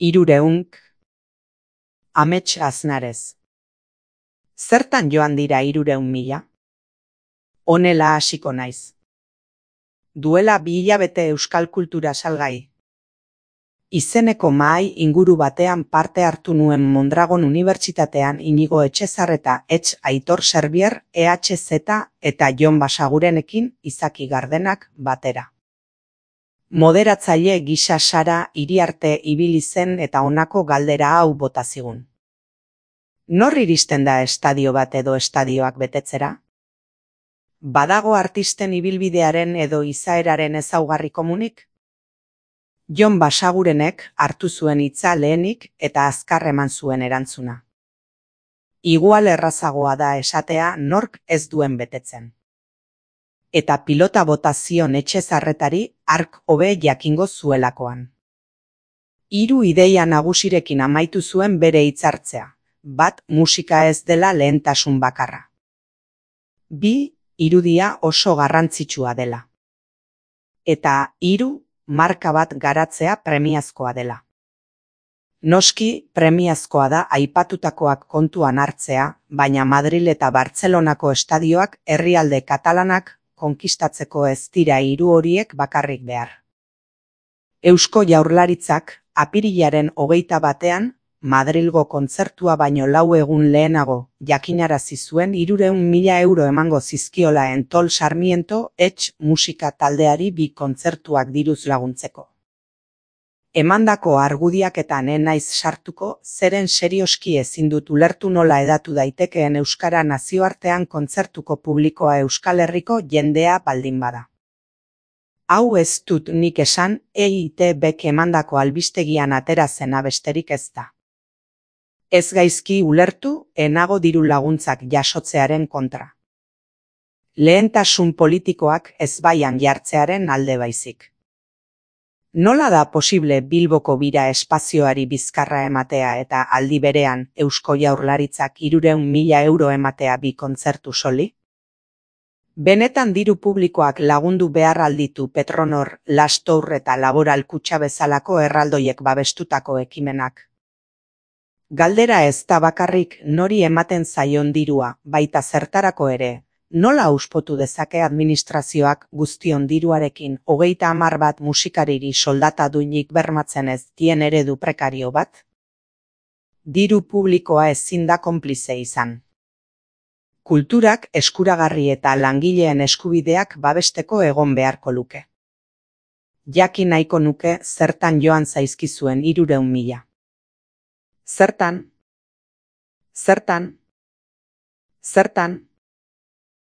Hirureunk. Amets Aznarez. Zertan joan dira 300.000? Honela hasiko naiz. Duela 2 hilabete euskal kultura salgai. Izeneko mahai inguru batean parte hartu nuen Mondragon Unibertsitatean Inigo Etxezarreta Etx Aitor Serbier EHZ eta Jon Basagurenekin Izaki Gardenak batera. Moderatzaile gisa Sara Iriarte ibili zen eta honako galdera hau bota zigun. Nor iristen da estadio bat edo estadioak betetzera? Badago artisten ibilbidearen edo izaeraren ezaugarri komunik? Jon Basagurenek hartu zuen hitza lehenik eta azkar eman zuen erantzuna. Igual errazagoa da esatea nork ez duen betetzen. Eta pilota bota zion Etxezarretari hark hobe jakingo zuelakoan. 3 ideia nagusirekin amaitu zuen bere hitzartzea. Bat, musika ez dela lehentasun bakarra. 2, irudia oso garrantzitsua dela. Eta 3, marka bat garatzea premiazkoa dela. Noski, premiazkoa da aipatutakoak kontuan hartzea, baina Madril eta Bartzelonako estadioak herrialde katalanak konkistatzeko ez dira 3 horiek bakarrik behar. Eusko Jaurlaritzak apirilaren 21 Madrilgo kontzertua baino 4 egun lehenago jakinarazi zuen 300.000 euro emango zizkiola Entol Sarmiento Etx musika taldeari 2 kontzertuak diruz laguntzeko. Emandako argudiaketan ez naiz sartuko, zeren serioski ezin dut ulertu nola hedatu daitekeen euskara nazioartean kontzertuko publikoa Euskal Herriko jendea baldin bada. Hau ez dut nik esan, EITBk emandako albistegian atera zena besterik ez da. Ez gaizki ulertu, enago diru laguntzak jasotzearen kontra. Lehentasun politikoak ezbaian jartzearen alde baizik. Nola da posible Bilboko bira espazioari bizkarra ematea eta aldi berean Eusko Jaurlaritzak 300.000 euro ematea 2 kontzertu soli? Benetan diru publikoak lagundu behar alditu Petronor, Lastour eta Laboral Kutxa bezalako erraldoiek babestutako ekimenak. Galdera ez da bakarrik nori ematen zaion dirua, baita zertarako ere, nola auspotu dezake administrazioak guztion diruarekin 30 bat musikariri soldata duinik bermatzen ez dien eredu prekario bat? Diru publikoa ezin da konplize izan. Kulturak eskuragarri eta langileen eskubideak babesteko egon beharko luke. Jakin nahiko nuke zertan joan zaizkizuen 300.000. Zertan?